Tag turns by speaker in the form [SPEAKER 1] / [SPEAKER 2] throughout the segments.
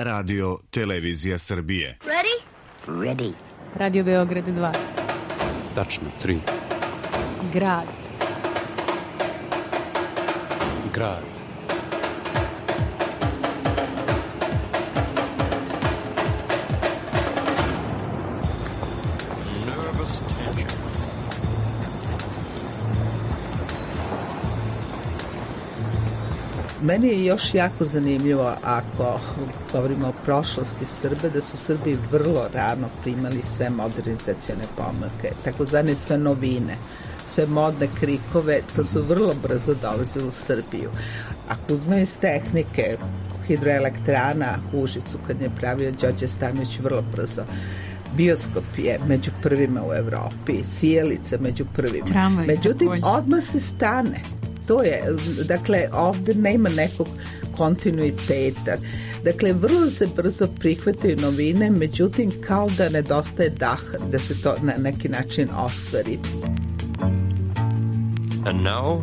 [SPEAKER 1] Radio Televizija Srbije.
[SPEAKER 2] Ready?
[SPEAKER 3] Ready.
[SPEAKER 4] Radio Beograd 2.
[SPEAKER 5] Tačno 3.
[SPEAKER 4] Grad.
[SPEAKER 5] Grad.
[SPEAKER 6] Meni je još jako zanimljivo, ako govorimo o prošlosti Srbe, da su Srbi vrlo rano primali sve modernizacione pomake, takozvane sve novine, sve modne krikove, to su vrlo brzo dolazili u Srbiju. Ako uzmemo iz tehnike, hidroelektrana Užicu, kad je pravio Đorđe Stanović, vrlo brzo. Bioskop je među prvima u Evropi, sijalica među prvima.
[SPEAKER 4] Tramvaj,
[SPEAKER 6] međutim,
[SPEAKER 4] takođe.
[SPEAKER 6] odmah se stane. To je, dakle, ovde nema nekog kontinuiteta. Dakle, vrlo se brzo prihvataju novine, međutim, kao da nedostaje daha, da se to na neki način ostvari.
[SPEAKER 7] And now,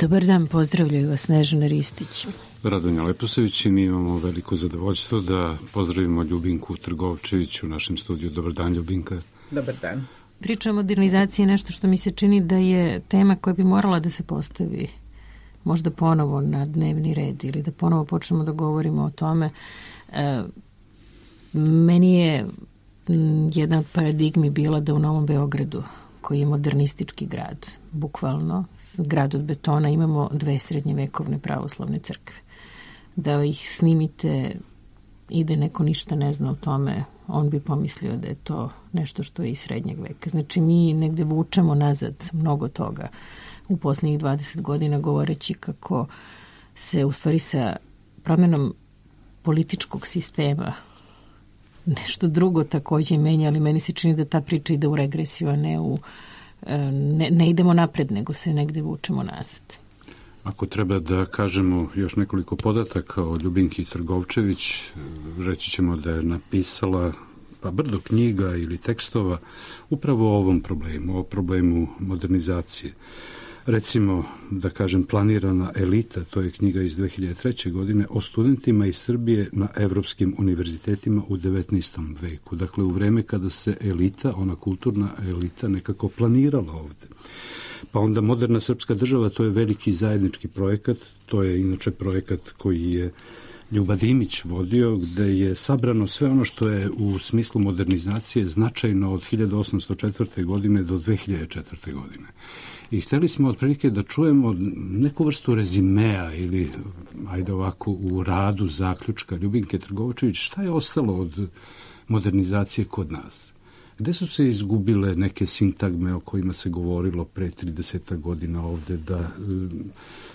[SPEAKER 4] Dobar dan, pozdravljaju vas Snežana Ristić.
[SPEAKER 5] Radonja Leposević i mi imamo veliko zadovoljstvo da pozdravimo Ljubinku Trgovčević u našem studiju. Dobar dan, Ljubinka.
[SPEAKER 6] Dobar dan.
[SPEAKER 4] Priča o modernizaciji je nešto što mi se čini da je tema koja bi morala da se postavi možda ponovo na dnevni red ili da ponovo počnemo da govorimo o tome. Meni je jedna od paradigmi bila da u Novom Beogradu, koji je modernistički grad, bukvalno grad od betona, imamo 2 srednjevekovne pravoslavne crkve. Da ih snimite i da neko ništa ne zna o tome, on bi pomislio da je to nešto što je iz srednjeg veka. Znači, mi negde vučemo nazad mnogo toga u posljednjih 20 godina, govoreći kako se u stvari sa promjenom političkog sistema nešto drugo takođe menja, ali meni se čini da ta priča ide u regresiju, a ne idemo napred, nego se negde vučemo nazad.
[SPEAKER 5] Ako treba da kažemo još nekoliko podataka o Ljubinki Trgovčević, reći ćemo da je napisala brdo knjiga ili tekstova upravo o ovom problemu, o problemu modernizacije. Recimo, da kažem, Planirana elita, to je knjiga iz 2003. godine o studentima iz Srbije na evropskim univerzitetima u 19. veku. Dakle, u vreme kada se elita, ona kulturna elita, nekako planirala ovde. Pa onda Moderna srpska država, to je veliki zajednički projekat, to je inače projekat koji je Ljuba Dimić vodio, gde je sabrano sve ono što je u smislu modernizacije značajno od 1804. godine do 2004. godine. I hteli smo otprilike da čujemo neku vrstu rezimea ili, ajde ovako, u radu zaključka Ljubinke Trgovčević, šta je ostalo od modernizacije kod nas? Gde su se izgubile neke sintagme o kojima se govorilo pre 30 godina ovde, da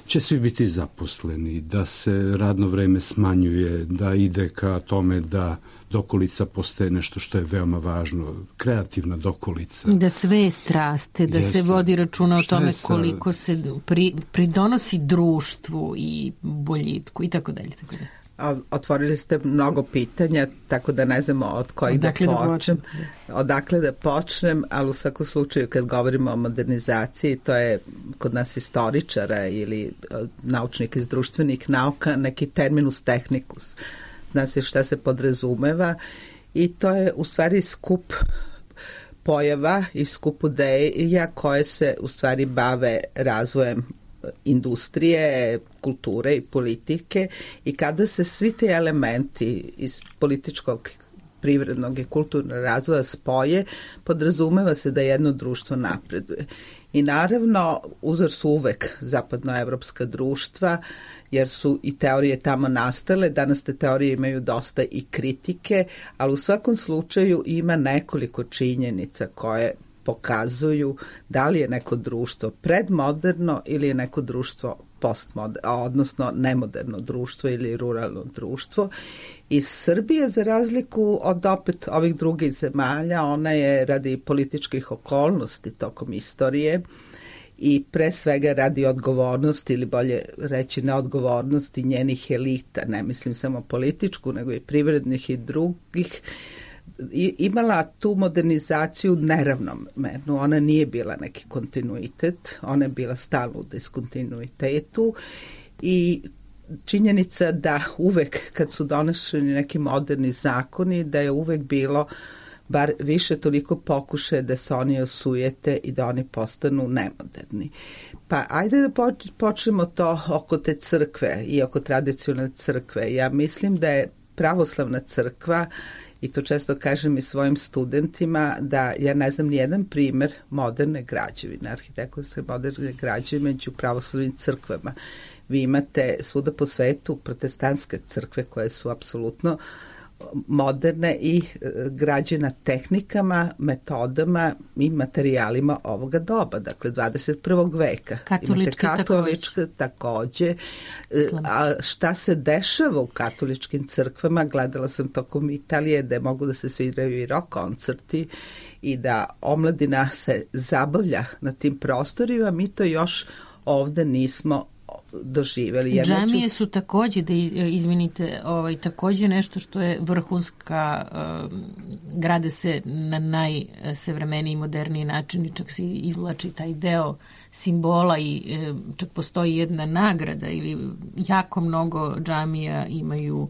[SPEAKER 5] će svi biti zaposleni, da se radno vreme smanjuje, da ide ka tome da dokolica postaje nešto što je veoma važno, kreativna dokolica.
[SPEAKER 4] Da svest raste, da se vodi računa o tome koliko se pridonosi društvu i boljitku i tako dalje.
[SPEAKER 6] Otvorili ste mnogo pitanja, tako da ne znamo od kojih odakle da počnem, ali u svakom slučaju kad govorimo o modernizaciji, to je kod nas istoričara ili naučnika iz društvenih nauka neki terminus technicus. Zna se šta se podrazumeva i to je u stvari skup pojava i skup ideja koje se u stvari bave razvojem industrije, kulture i politike, i kada se svi ti elementi iz političkog, privrednog i kulturnog razvoja spoje, podrazumeva se da jedno društvo napreduje. I naravno, uzor su uvek zapadnoevropska društva, jer su i teorije tamo nastale. Danas te teorije imaju dosta i kritike, ali u svakom slučaju ima nekoliko činjenica koje pokazuju da li je neko društvo predmoderno ili je neko društvo postmoderno, odnosno nemoderno društvo ili ruralno društvo. I Srbija, za razliku od opet ovih drugih zemalja, ona je radi političkih okolnosti tokom istorije i pre svega radi odgovornosti, ili bolje reći neodgovornosti njenih elita, ne mislim samo političku, nego i privrednih i drugih, imala tu modernizaciju neravnomernu, ona nije bila neki kontinuitet, ona je bila stalno u diskontinuitetu i činjenica da uvek kad su donošeni neki moderni zakoni, da je uvek bilo bar više toliko pokušaje da se oni osujete i da oni postanu nemoderni. Pa ajde da počnemo to oko te crkve i oko tradicionalne crkve. Ja mislim da je pravoslavna crkva, i to često kažem i svojim studentima, da ja ne znam nijedan primer moderne građevine, arhitektonske moderne građevine među pravoslavnim crkvama. Vi imate svuda po svetu protestantske crkve koje su apsolutno moderne i građena tehnikama, metodama i materijalima ovoga doba, dakle 21. veka. Katoličke takođe. A šta se dešava u katoličkim crkvama? Gledala sam tokom Italije da mogu da se sviraju i rock koncerti i da omladina se zabavlja na tim prostorima. Mi to još ovde nismo doživjeli.
[SPEAKER 4] Džamije su takođe, da izvinite, takođe nešto što je vrhunska, grade se na najsavremeniji, moderniji način i čak se izvlači taj deo simbola i čak postoji jedna nagrada ili jako mnogo džamija imaju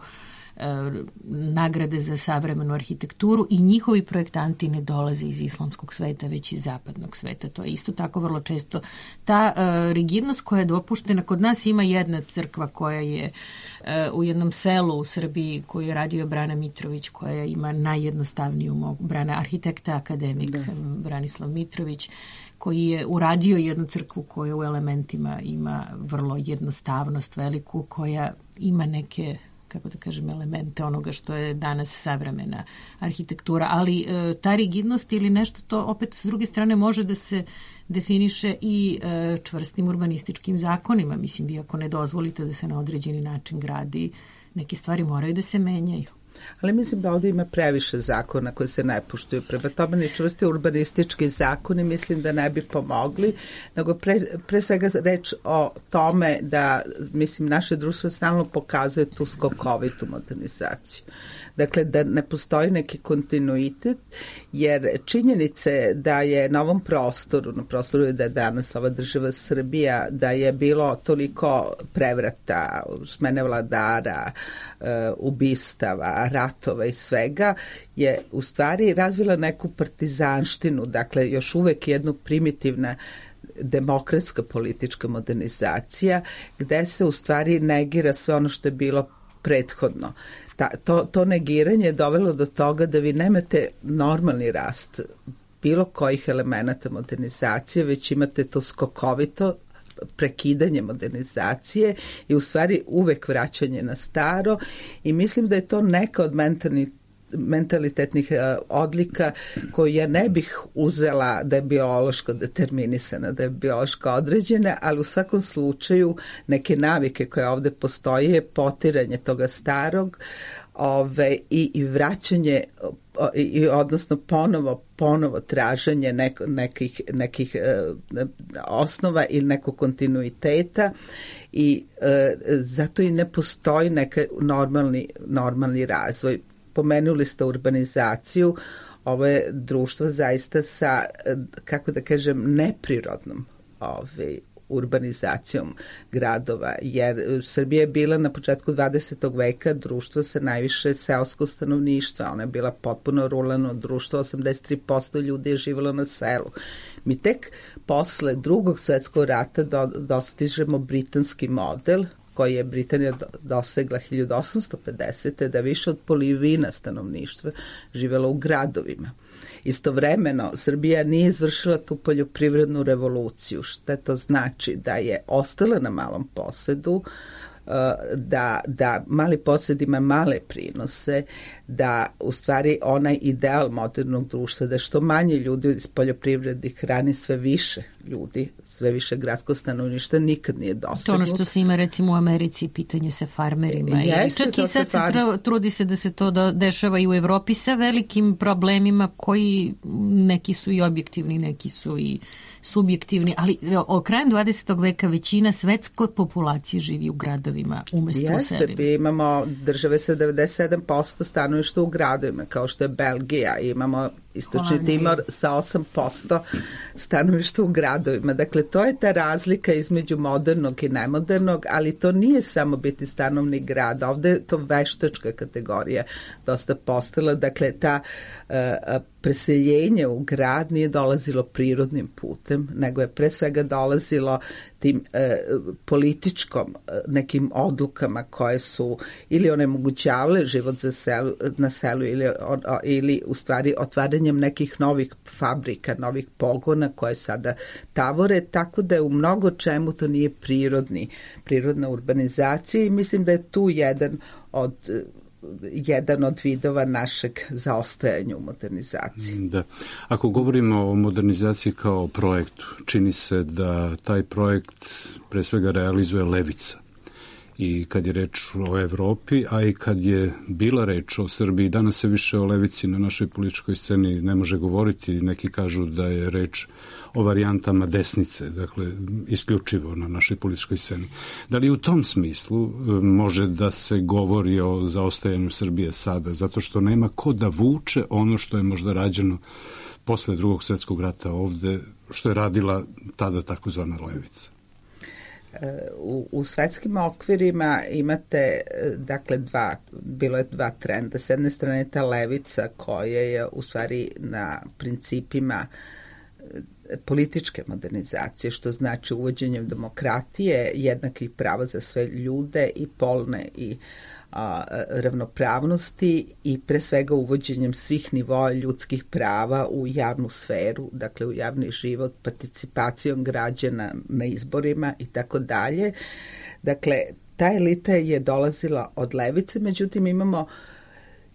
[SPEAKER 4] nagrade za savremenu arhitekturu i njihovi projektanti ne dolaze iz islamskog sveta, već iz zapadnog sveta. To je isto tako vrlo često. Ta rigidnost koja je dopuštena, kod nas ima jedna crkva koja je u jednom selu u Srbiji koju je radio Brana Mitrović, koja ima najjednostavniju arhitekta akademik Branislav Mitrović, koji je uradio jednu crkvu koja u elementima ima vrlo jednostavnost veliku, koja ima neke, kako da kažem, elemente onoga što je danas savremena arhitektura, ali ta rigidnost ili nešto to opet s druge strane može da se definiše i čvrstim urbanističkim zakonima. Mislim, vi ako ne dozvolite da se na određeni način gradi, neke stvari moraju da se menjaju.
[SPEAKER 6] Ali mislim da ovdje ima previše zakona koji se ne poštuju. Prema tome ni čvrsti urbanistički zakoni mislim da ne bi pomogli, nego pre svega reč o tome da, mislim, naše društvo stalno pokazuje tu skokovitu modernizaciju. Dakle, da ne postoji neki kontinuitet, jer činjenice da je na ovom prostoru, na prostoru da je danas ova država Srbija, da je bilo toliko prevrata, smene vladara, ubistava, ratova i svega, je u stvari razvila neku partizanštinu, dakle još uvek jednu primitivna demokratska politička modernizacija, gde se u stvari negira sve ono što je bilo prethodno. To negiranje je dovelo do toga da vi nemate normalni rast bilo kojih elemenata modernizacije, već imate to skokovito prekidanje modernizacije i u stvari uvek vraćanje na staro i mislim da je to neka od mentalitetnih odlika koju ja ne bih uzela da je biološko determinisana, da je biološko određena, ali u svakom slučaju neke navike koje ovde postoje, potiranje toga starog i vraćanje odnosno ponovo traženje nekih osnova ili nekog kontinuiteta i zato i ne postoji neki normalni razvoj. Pomenuli ste urbanizaciju, ovo je društvo zaista sa, kako da kažem, neprirodnom urbanizacijom gradova, jer Srbija je bila na početku 20. veka društvo sa najviše seoskog stanovništva, ona je bila potpuno ruralno društvo, 83% ljudi je živjelo na selu. Mi tek posle Drugog svjetskog rata dostižemo britanski model, koji je Britanija dosegla 1850. da više od polovine stanovništva živjelo u gradovima. Istovremeno, Srbija nije izvršila tu poljoprivrednu revoluciju. Šta to znači? Da je ostala na malom posedu, da mali posed ima male prinose, da u stvari onaj ideal modernog društva, da što manje ljudi iz poljoprivrednih hrani sve više ljudi, sve više gradsko stanovništva nikad nije dosegnuto.
[SPEAKER 4] To ono što se ima recimo u Americi, pitanje sa farmerima. Čak i sad trudi se da se to dešava i u Evropi sa velikim problemima koji neki su i objektivni, neki su i subjektivni, ali krajem 20. veka većina svetske populacije živi u gradovima umesto u selima.
[SPEAKER 6] Imamo države sa 97% stanovništva u gradovima, kao što je Belgija, imamo Istočni Timor sa 8% stanovništva u gradovima. Dakle, to je ta razlika između modernog i nemodernog, ali to nije samo biti stanovnik grada. Ovde je to veštačka kategorija dosta postala. Dakle, ta preseljenje u grad nije dolazilo prirodnim putem, nego je pre svega dolazilo tim političkom nekim odlukama koje su ili onemogućavale život na selu ili u stvari otvaranjem nekih novih fabrika, novih pogona koje sada tavore, tako da je u mnogo čemu to nije prirodna urbanizacija i mislim da je tu jedan od vidova našeg zaostajanja u modernizaciji.
[SPEAKER 5] Da. Ako govorimo o modernizaciji kao projektu, čini se da taj projekt pre svega realizuje levica. I kad je reč o Evropi, a i kad je bila reč o Srbiji, danas se više o levici na našoj političkoj sceni ne može govoriti. Neki kažu da je reč o varijantama desnice, dakle, isključivo na našoj političkoj sceni. Da li u tom smislu može da se govori o zaostajanju Srbije sada, zato što nema ko da vuče ono što je možda rađeno posle Drugog svjetskog rata ovde, što je radila tada takozvana levica?
[SPEAKER 6] U svetskim okvirima imate, dakle, bilo je dva trenda. S jedne strane ta levica koja je u stvari na principima političke modernizacije, što znači uvođenjem demokratije, jednakih prava za sve ljude i polne i ravnopravnosti i pre svega uvođenjem svih nivoa ljudskih prava u javnu sferu, dakle u javni život, participacijom građana na izborima i tako dalje. Dakle, ta elita je dolazila od levice, međutim imamo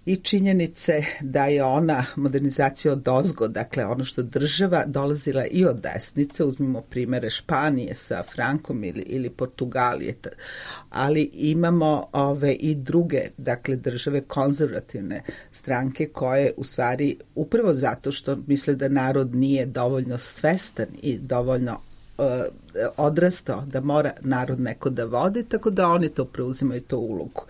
[SPEAKER 6] i činjenice da je ona modernizacija odozgo, dakle ono što država dolazila i od desnice, uzmimo primere Španije sa Frankom ili Portugalije, ali imamo i druge, dakle države konzervativne stranke koje u stvari upravo zato što misle da narod nije dovoljno svestan i dovoljno odrastao da mora narod neko da vodi, tako da oni to preuzimaju tu ulogu.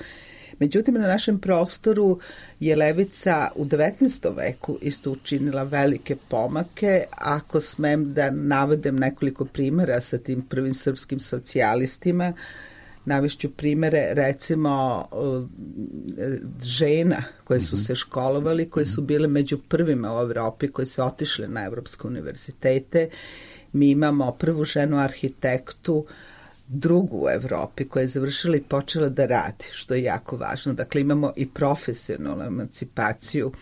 [SPEAKER 6] Međutim, na našem prostoru je levica u 19. veku isto učinila velike pomake. Ako smem da navedem nekoliko primjera sa tim prvim srpskim socijalistima, navešću primere recimo žena koje su se školovali, koje su bile među prvima u Evropi, koje su otišle na evropske univerzitete. Mi imamo prvu ženu arhitektu, drugu u Evropi koja je završila i počela da radi, što je jako važno. Dakle, imamo i profesionalnu emancipaciju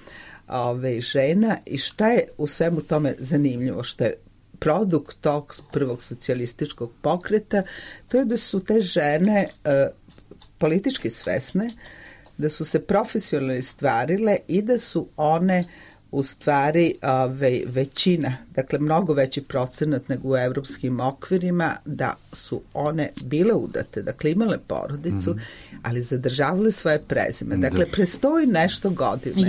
[SPEAKER 6] žena i šta je u svemu tome zanimljivo, što je produkt tog prvog socijalističkog pokreta, to je da su te žene politički svesne, da su se profesionalno stvarile i da su one u stvari većina, dakle mnogo veći procenat nego u evropskim okvirima, da su one bile udate, dakle imale porodicu, ali zadržavale svoje prezime. Dakle, prestoji nešto godina.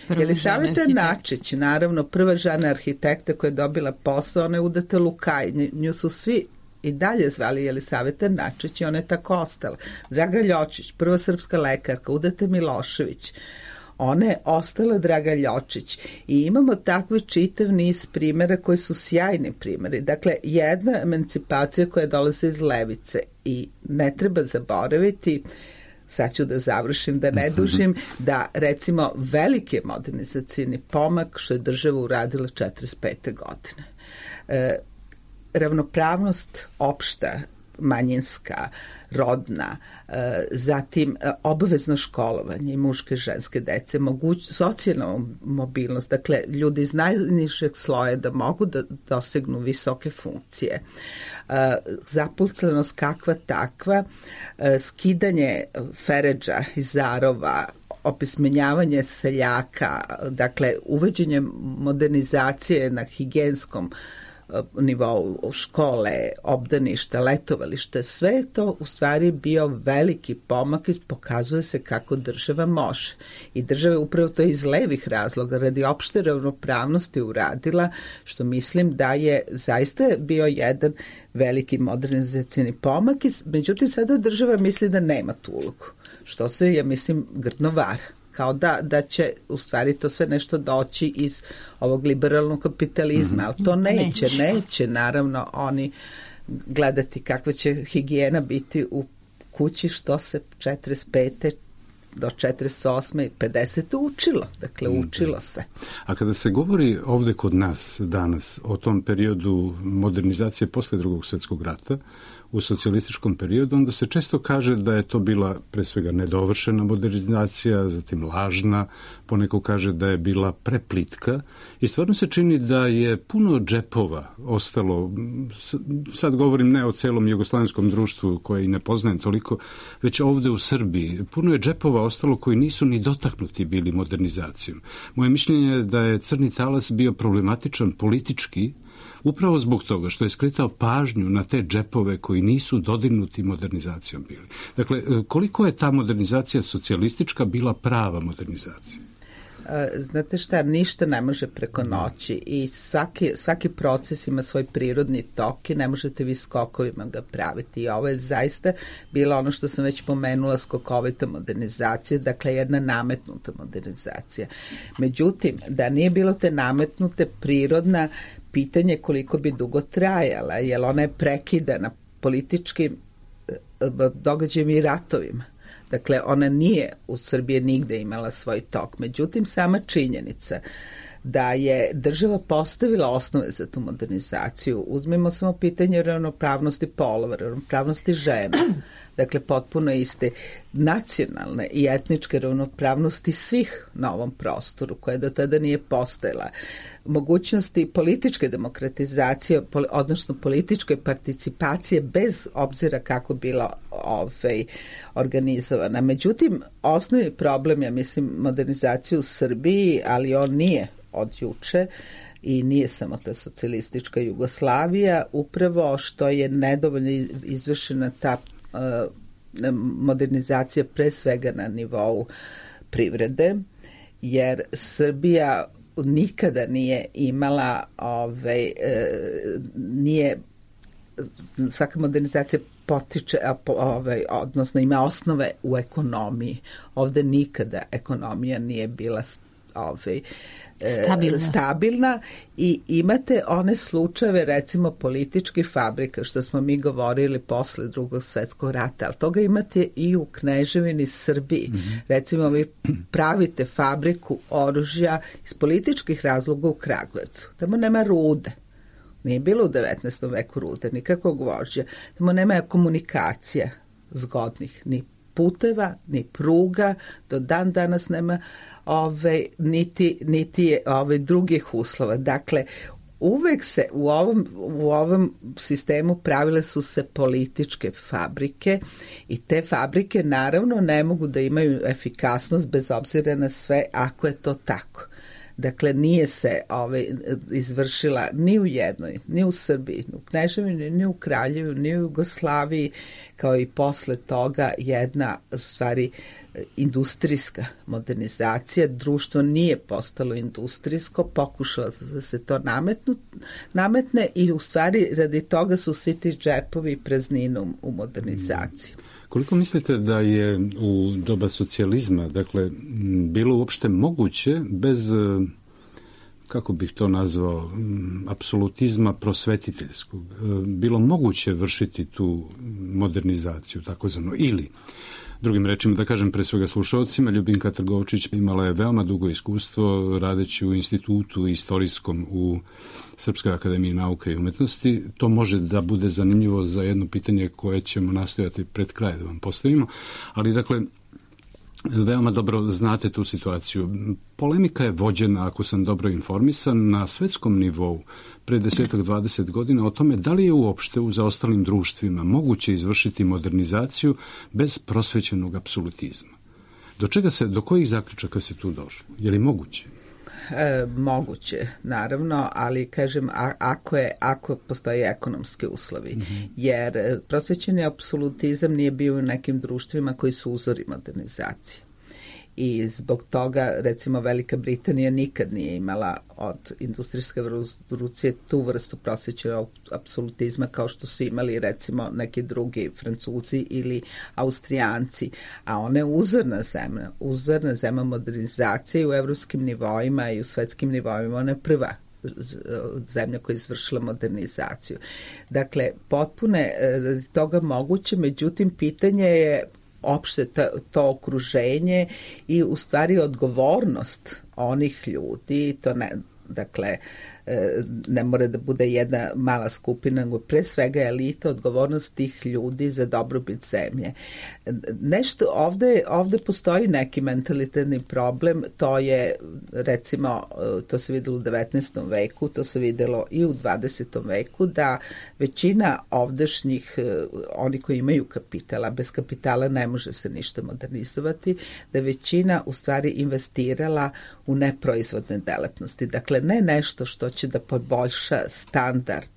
[SPEAKER 4] Jelisaveta
[SPEAKER 6] Načić, naravno, prva žena arhitekta koja je dobila posao, ona je udata Lukaj. Nju su svi i dalje zvali Jelisaveta Načić i ona je tako ostala. Draga Ljočić, prva srpska lekarka, udata Milošević. Ona je ostala Draga Ljočić i imamo takve čitav niz primjera koji su sjajni primjeri. Dakle, jedna emancipacija koja dolazi iz levice i ne treba zaboraviti, sad ću da završim, da ne dužim, da recimo veliki modernizacijni pomak što je država uradila 45. godine. Ravnopravnost opšta, manjinska, rodna, zatim obavezno školovanje i muške i ženske dece, socijalna mobilnost, dakle ljudi iz najnižeg sloja da mogu da dosegnu visoke funkcije, zaposlenost kakva takva, skidanje feredža i zarova, opismenjavanje seljaka, dakle uvođenje modernizacije na higijenskom nivou škole, obdaništa, letovalište, sve je to u stvari bio veliki pomak i pokazuje se kako država može. I država je upravo to iz levih razloga, radi opšte ravnopravnosti uradila, što mislim da je zaista bio jedan veliki modernizacijni pomak. Međutim, sada država misli da nema tu ulogu, što se, ja mislim, grdno vara. Kao da će u stvari to sve nešto doći iz ovog liberalnog kapitalizma, ali to neće naravno oni gledati kakva će higijena biti u kući, što se 45. do 48. i 50. učilo. Dakle, učilo se.
[SPEAKER 5] A kada se govori ovde kod nas danas o tom periodu modernizacije posle Drugog svjetskog rata, u socijalističkom periodu, onda se često kaže da je to bila pre svega nedovršena modernizacija, zatim lažna, poneko kaže da je bila preplitka i stvarno se čini da je puno džepova ostalo, sad govorim ne o celom jugoslavenskom društvu koje i ne poznajem toliko, već ovde u Srbiji, puno je džepova ostalo koji nisu ni dotaknuti bili modernizacijom. Moje mišljenje je da je crni talas bio problematičan politički, upravo zbog toga što je skretao pažnju na te džepove koji nisu dodirnuti modernizacijom bili. Dakle, koliko je ta modernizacija socijalistička bila prava modernizacija?
[SPEAKER 6] Znate šta, ništa ne može preko noći i svaki proces ima svoj prirodni tok i ne možete vi skokovima ga praviti. I ovo je zaista bilo ono što sam već pomenula, skokovita modernizacija, dakle jedna nametnuta modernizacija. Međutim, da nije bilo te nametnute, prirodna, pitanje koliko bi dugo trajala, jer ona je prekidana političkim događajima i ratovima. Dakle, ona nije u Srbiji nigde imala svoj tok. Međutim, sama činjenica da je država postavila osnove za tu modernizaciju, uzmimo samo pitanje ravnopravnosti polova, ravnopravnosti žena, dakle potpuno iste nacionalne i etničke ravnopravnosti svih na ovom prostoru, koja do tada nije postojala, mogućnosti političke demokratizacije, odnosno političke participacije bez obzira kako bila organizovana. Međutim, osnovni problem, ja mislim, modernizacije u Srbiji, ali on nije od juče i nije samo ta socijalistička Jugoslavija, upravo što je nedovoljno izvršena ta modernizacija pre svega na nivou privrede, jer Srbija nikada nije imala svaka modernizacija potiče, odnosno ima osnove u ekonomiji. Ovde nikada ekonomija nije bila stabilna i imate one slučajeve, recimo političkih fabrika, što smo mi govorili posle Drugog svjetskog rata, ali toga imate i u Kneževini Srbiji. Recimo, vi pravite fabriku oružja iz političkih razloga u Kragujevcu. Tamo nema rude. Nije bilo u 19. veku rude, nikakvog vožđa. Tamo nema komunikacija zgodnih, ni puteva, ni pruga, do dan danas nema niti drugih uslova. Dakle, uvek se u ovom sistemu pravile su se političke fabrike i te fabrike naravno ne mogu da imaju efikasnost bez obzira na sve ako je to tako. Dakle, nije se izvršila ni u jednoj, ni u Srbiji, ni u Kneževini, ni u Kraljevu, ni u Jugoslaviji, kao i posle toga jedna, u stvari, industrijska modernizacija. Društvo nije postalo industrijsko, pokušalo da se to nametne i u stvari radi toga su svi ti džepovi prazninom u modernizaciji.
[SPEAKER 5] Koliko mislite da je u doba socijalizma, dakle, bilo uopšte moguće bez, kako bih to nazvao, apsolutizma prosvetiteljskog, bilo moguće vršiti tu modernizaciju, takozvano, ili, drugim rečima, da kažem pre svega slušalcima, Ljubinka Trgovčić imala je veoma dugo iskustvo radeći u institutu istorijskom u Srpskoj akademiji nauke i umetnosti. To može da bude zanimljivo za jedno pitanje koje ćemo nastojati pred kraj da vam postavimo, ali dakle, veoma dobro znate tu situaciju. Polemika je vođena, ako sam dobro informisan, na svetskom nivou pre 10-20 godina o tome da li je uopšte u zaostalim društvima moguće izvršiti modernizaciju bez prosvećenog apsolutizma. Do kojih zaključaka se tu došlo? Je li moguće?
[SPEAKER 6] moguće, naravno, ali kažem ako postoje ekonomski uslovi. Jer prosvećeni apsolutizam nije bio u nekim društvima koji su uzori modernizacije. I zbog toga, recimo, Velika Britanija nikad nije imala od industrijske revolucije tu vrstu prosvećenog apsolutizma kao što su imali, recimo, neki drugi Francuzi ili Austrijanci. A ona je uzorna zemlja modernizacije u evropskim nivoima i u svetskim nivoima. Ona je prva zemlja koja je izvršila modernizaciju. Dakle, potpuno je toga moguće, međutim, pitanje je opšte to okruženje i u stvari odgovornost onih ljudi, to ne, dakle, ne mora da bude jedna mala skupina, nego pre svega elita, odgovornost tih ljudi za dobrobit zemlje. Nešto, ovde postoji neki mentalitetni problem, to je, recimo, to se videlo u 19. veku, to se videlo i u 20. veku, da većina ovdašnjih, oni koji imaju kapitala, bez kapitala ne može se ništa modernizovati, da većina u stvari investirala u neproizvodne delatnosti. Dakle, ne nešto što će da poboljša standard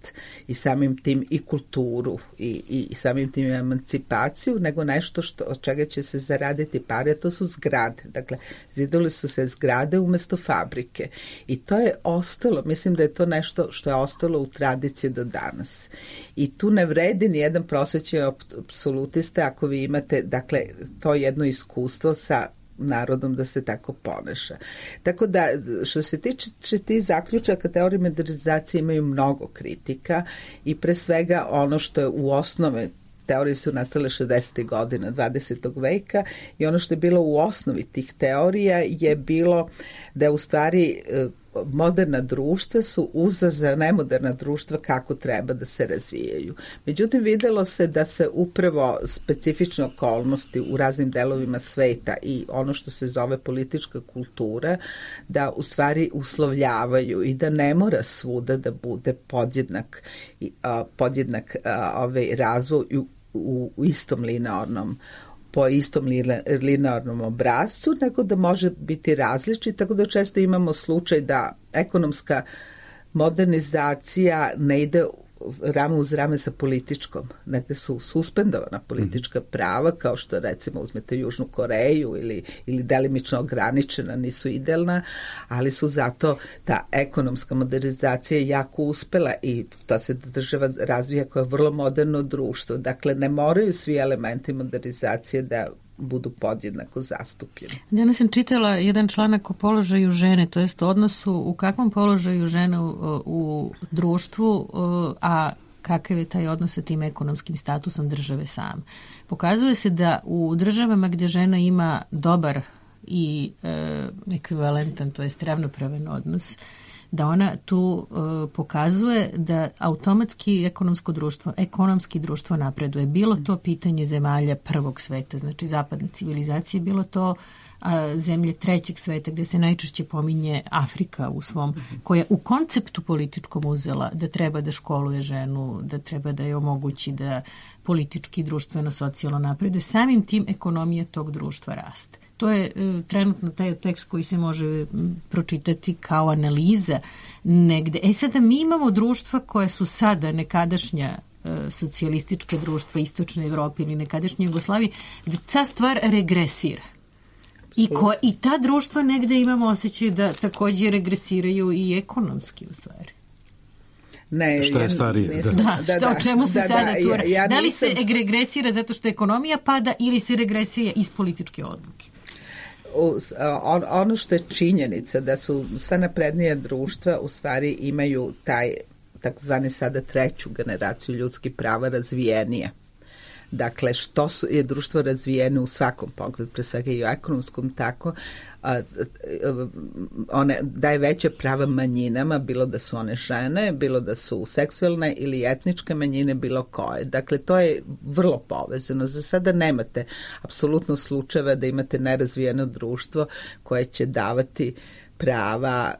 [SPEAKER 6] i samim tim i kulturu i samim tim emancipaciju, nego nešto od čega će se zaraditi pare, to su zgrade. Dakle, zidali su se zgrade umesto fabrike. I to je ostalo, mislim da je to nešto što je ostalo u tradiciji do danas. I tu ne vredi ni jedan prosvećeni apsolutista ako vi imate, dakle, to jedno iskustvo sa narodom da se tako ponaša. Tako da, što se tiče tih zaključaka, teorije modernizacije imaju mnogo kritika i pre svega ono što je u osnove, teorije su nastale 60. godina 20. veka i ono što je bilo u osnovi tih teorija je bilo da u stvari moderna društva su uzor za nemoderna društva kako treba da se razvijaju. Međutim, videlo se da se upravo specifične okolnosti u raznim delovima sveta i ono što se zove politička kultura, da u stvari uslovljavaju i da ne mora svuda da bude podjednak razvoj u istom po istom linearnom obrazcu, nego da može biti različit, tako da često imamo slučaj da ekonomska modernizacija ne ide rame uz rame sa političkom. Negde su suspendovana politička prava, kao što recimo uzmete Južnu Koreju ili delimično ograničena, nisu idealna, ali su zato ta ekonomska modernizacija jako uspela i ta se država razvija kao vrlo moderno društvo. Dakle, ne moraju svi elementi modernizacije da budu podjednako zastupljeni.
[SPEAKER 4] Danas sam čitala jedan članak o položaju žene, to jest odnosu u kakvom položaju žena u društvu, a kakav je taj odnos sa tim ekonomskim statusom države same. Pokazuje se da u državama gdje žena ima dobar i ekvivalentan, to jest ravnopravan odnos, da ona tu pokazuje da automatski ekonomski društvo napreduje. Bilo to pitanje zemalja prvog sveta, znači zapadne civilizacije, bilo to zemlje trećeg sveta gdje se najčešće pominje Afrika u svom, koja u konceptu političkom uzela da treba da školuje ženu, da treba da je omogući da politički, društveno, socijalno napreduje. Samim tim ekonomija tog društva raste. To je trenutno taj tekst koji se može pročitati kao analiza negde. Sada mi imamo društva koje su sada nekadašnja socijalistička društva Istočne Evrope ili nekadašnje Jugoslavije, gde ta stvar regresira. I ta društva negde imamo osjećaj da također regresiraju i ekonomski u stvari.
[SPEAKER 5] Ne, šta je starije?
[SPEAKER 4] O čemu se sada tu radi? Da li se regresira zato što ekonomija pada ili se regresira iz političke odluke?
[SPEAKER 6] Ono što je činjenica da su sve naprednije društva u stvari imaju taj takozvani sada treću generaciju ljudskih prava razvijenije. Dakle, što je društvo razvijeno u svakom pogledu, pre svega i u ekonomskom, tako one daje veće prava manjinama, bilo da su one žene, bilo da su seksualne ili etničke manjine, bilo koje. Dakle, to je vrlo povezano. Za sada nemate apsolutno slučajeva da imate nerazvijeno društvo koje će davati prava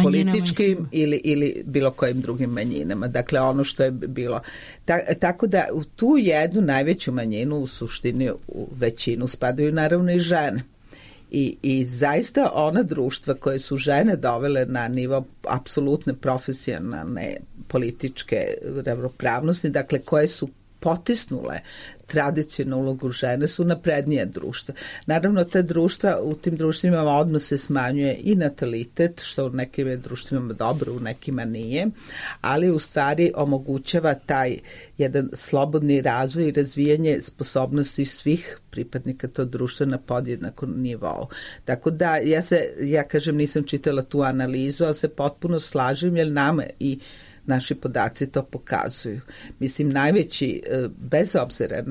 [SPEAKER 6] političkim ili bilo kojim drugim manjinama. Dakle, ono što je bilo. Tako da u tu jednu najveću manjinu u suštini u većinu spadaju naravno i žene. I zaista ona društva koje su žene dovele na nivo apsolutne profesionalne političke ravnopravnosti, dakle koje su potisnule tradicionalnu ulogu žene, su naprednije društva. Naravno, te društva, u tim društvima odmah se smanjuje i natalitet, što u nekim društvima dobro, u nekima nije, ali u stvari omogućava taj jedan slobodni razvoj i razvijanje sposobnosti svih pripadnika tog društva na podjednakom nivou. Tako da, ja kažem, nisam čitala tu analizu, ali se potpuno slažem, jer nama i naši podaci to pokazuju. Mislim, najveći, bez obzira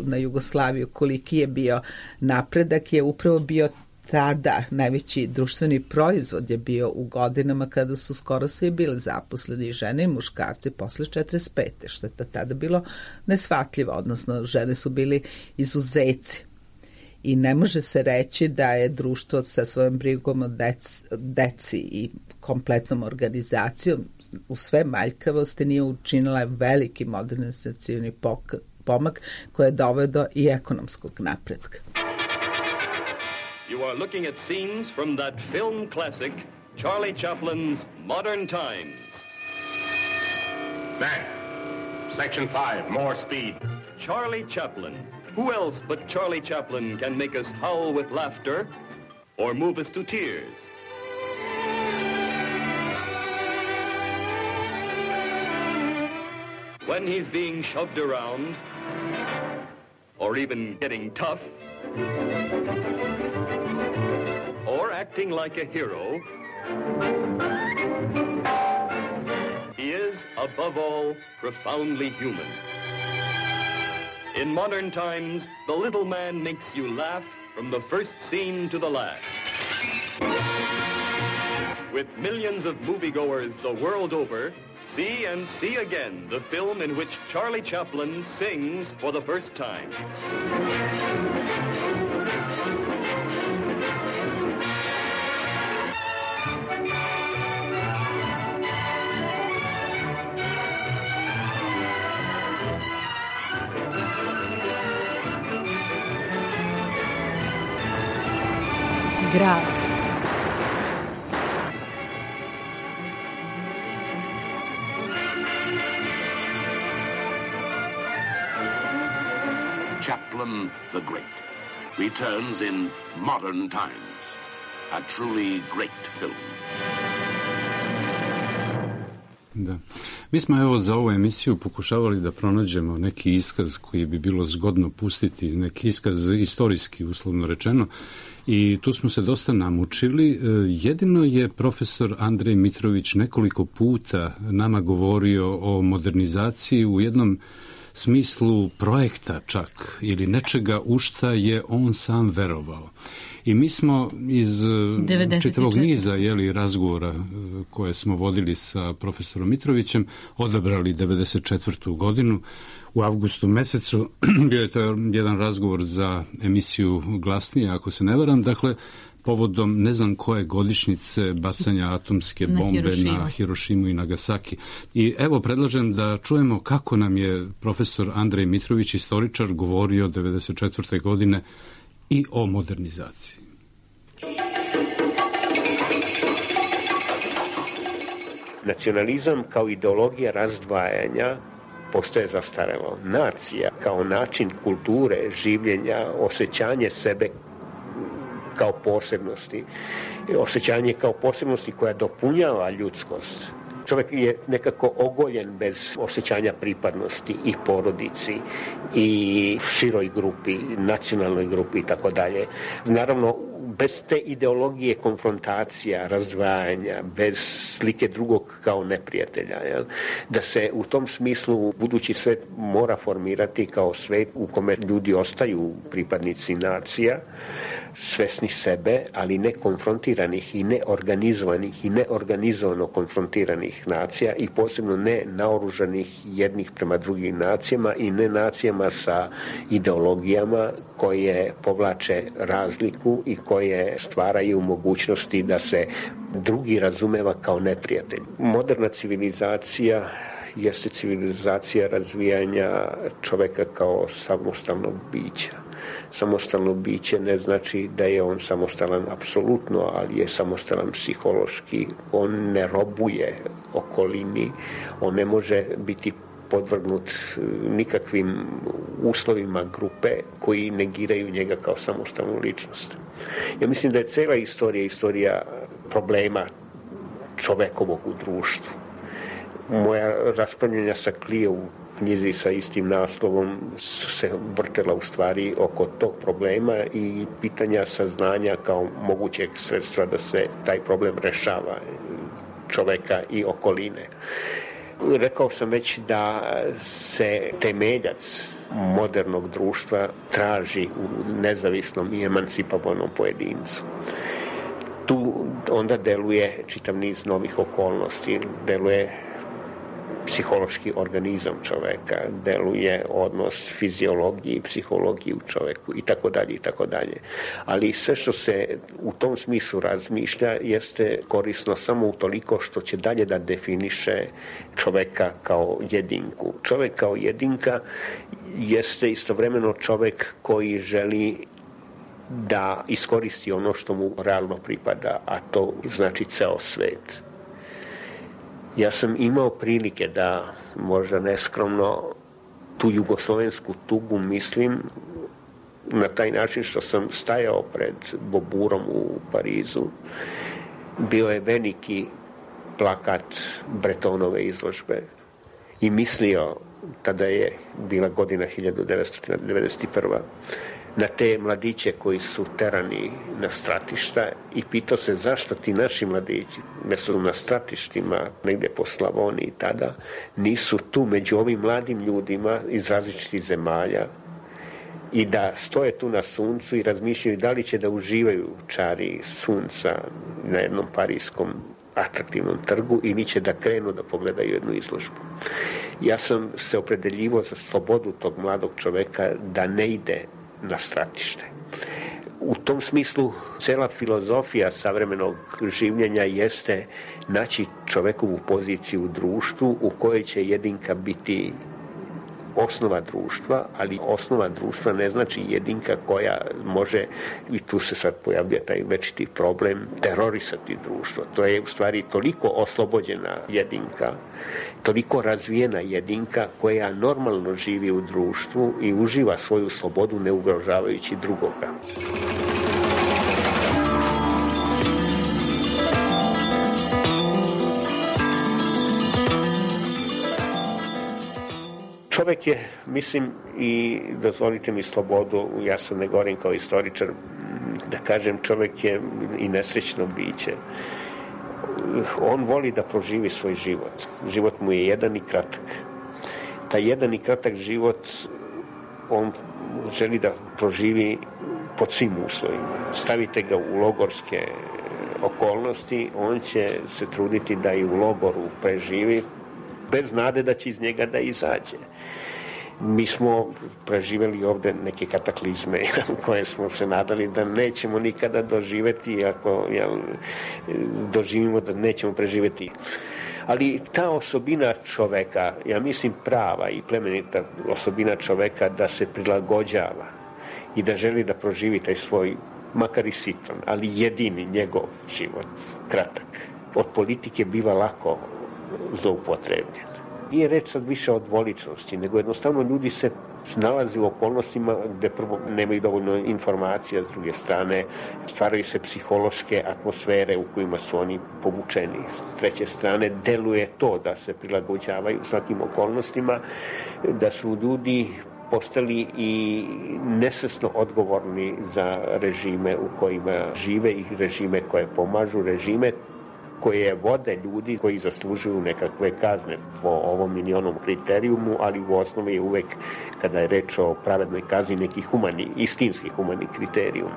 [SPEAKER 6] na Jugoslaviju, koliki je bio napredak, je upravo bio tada najveći društveni proizvod je bio u godinama kada su skoro svi bili zaposleni, žene i muškarci, posle 45. što je tada bilo neshvatljivo, odnosno žene su bili izuzeci. I ne može se reći da je društvo sa svojom brigom o deci i kompletnom organizacijom u sve manjkavosti nije učinila veliki modernizacioni pomak koji je doveo i ekonomskog napretka.
[SPEAKER 2] You are looking at scenes from that film classic, Charlie Chaplin's Modern Times.
[SPEAKER 3] Back. Section 5, more speed.
[SPEAKER 2] Charlie Chaplin. Who else but Charlie Chaplin can make us howl with laughter or move us to tears? When he's being shoved around, or even getting tough, or acting like a hero, he is, above all, profoundly human. In Modern Times, the little man makes you laugh from the first scene to the last. With millions of moviegoers the world over, see and see again the film in which Charlie Chaplin sings for the first time.
[SPEAKER 4] Grad.
[SPEAKER 3] Chaplin the Great returns in Modern Times, a truly great film.
[SPEAKER 5] Da. Mi smo evo za ovu emisiju pokušavali da pronađemo neki iskaz koji bi bilo zgodno pustiti, neki iskaz istorijski, uslovno rečeno, i tu smo se dosta namučili. Jedino je profesor Andrej Mitrović nekoliko puta nama govorio o modernizaciji u jednom smislu projekta čak, ili nečega u šta je on sam verovao. I mi smo iz čitavog niza razgovora koje smo vodili sa profesorom Mitrovićem odabrali 94. godinu. U avgustu mesecu bio je to jedan razgovor za emisiju Glasnije, ako se ne varam, dakle, povodom ne znam koje godišnjice bacanja atomske bombe na Hirošimu i Nagasaki. I evo predlažem da čujemo kako nam je profesor Andrej Mitrović, istoričar, govorio 94. godine i o modernizaciji.
[SPEAKER 7] Nacionalizam kao ideologija razdvajanja postaje zastarelo. Nacija kao način kulture, življenja, osjećanje sebe kao posebnosti, osjećanje kao posebnosti koja dopunjava ljudskost. Čovjek je nekako ogoljen bez osjećanja pripadnosti i porodici i široj grupi, nacionalnoj grupi i tako dalje. Naravno, bez te ideologije konfrontacija, razdvajanja, bez slike drugog kao neprijatelja. Da se u tom smislu budući svet mora formirati kao svet u kome ljudi ostaju pripadnici nacija, svesni sebe, ali ne konfrontiranih i neorganizovanih i neorganizovano konfrontiranih nacija i posebno ne naoružanih jednih prema drugim nacijama i ne nacijama sa ideologijama koje povlače razliku i koje stvaraju mogućnosti da se drugi razumeva kao neprijatelj. Moderna civilizacija jeste civilizacija razvijanja čovjeka kao samostalnog bića. samostalno biće ne znači da je on samostalan apsolutno, ali je samostalan psihološki. On ne robuje okolini, on ne može biti podvrgnut nikakvim uslovima grupe koji negiraju njega kao samostalnu ličnost. Ja mislim da je cela istorija problema čovekovog u društvu. Moja raspravljanja sa Klije u knjizi sa istim naslovom su se vrtela u stvari oko tog problema i pitanja saznanja kao mogućeg sredstva da se taj problem rešava čoveka i okoline. Rekao sam već da se temeljac modernog društva traži u nezavisnom i emancipovanom pojedincu. Tu onda deluje čitav niz novih okolnosti, deluje psihološki organizam čoveka, deluje odnos fiziologiji i psihologiji u čoveku i tako dalje. Ali sve što se u tom smislu razmišlja jeste korisno samo utoliko što će dalje da definiše čoveka kao jedinku. Čovek kao jedinka jeste istovremeno čovek koji želi da iskoristi ono što mu realno pripada, a to znači ceo svet. Ja sam imao prilike da, možda neskromno, tu jugoslovensku tugu mislim na taj način što sam stajao pred Boburom u Parizu. Bio je veliki plakat Bretonove izložbe i mislio, tada je bila godina 1991. na te mladiće koji su terani na stratišta i pitao se zašto ti naši mladići, mesto na stratištima, negde po Slavoniji tada, nisu tu među ovim mladim ljudima iz različitih zemalja i da stoje tu na suncu i razmišljaju da li će da uživaju čari sunca na jednom parijskom atraktivnom trgu ili će da krenu da pogledaju jednu izložbu. Ja sam se opredeljivao za slobodu tog mladog čoveka da ne ide na stratište. U tom smislu cela filozofija savremenog življenja jeste naći čovekovu poziciju u društvu u kojoj će jedinka biti osnova društva, ali osnova društva ne znači jedinka koja može, i tu se sad pojavlja taj večiti problem, terorisati društvo. To je u stvari toliko oslobođena jedinka, toliko razvijena jedinka koja normalno živi u društvu i uživa svoju slobodu ne ugrožavajući drugoga. Čovek je, mislim, i dozvolite mi slobodu, ja se ne govorim kao istoričar, da kažem, čovek je i nesrećno biće. On voli da proživi svoj život. Život mu je jedan i kratak. Taj jedan i kratak život on želi da proživi pod svim uslovima. Stavite ga u logorske okolnosti, on će se truditi da i u logoru preživi, bez nade da će iz njega da izađe. Mi smo preživeli ovde neke kataklizme koje smo se nadali da nećemo nikada doživeti, ako doživimo da nećemo preživeti. Ali ta osobina čoveka, ja mislim prava i plemenita osobina čoveka da se prilagođava i da želi da proživi taj svoj, makar i sitan, ali jedini njegov život, kratak, od politike biva lako zloupotrebljen. Nije reč sad više o dvoličnosti, nego jednostavno ljudi se nalaze u okolnostima gde prvo nemaju dovoljno informacija, s druge strane stvaraju se psihološke atmosfere u kojima su oni povučeni. S treće strane deluje to da se prilagođavaju svakim okolnostima, da su ljudi postali i nesvesno odgovorni za režime u kojima žive i režime koje pomažu, režime koje vode ljudi koji zaslužuju nekakve kazne po ovom ili onom kriterijumu, ali u osnovi je uvek, kada je reč o pravednoj kazni, neki istinski humani kriterijum.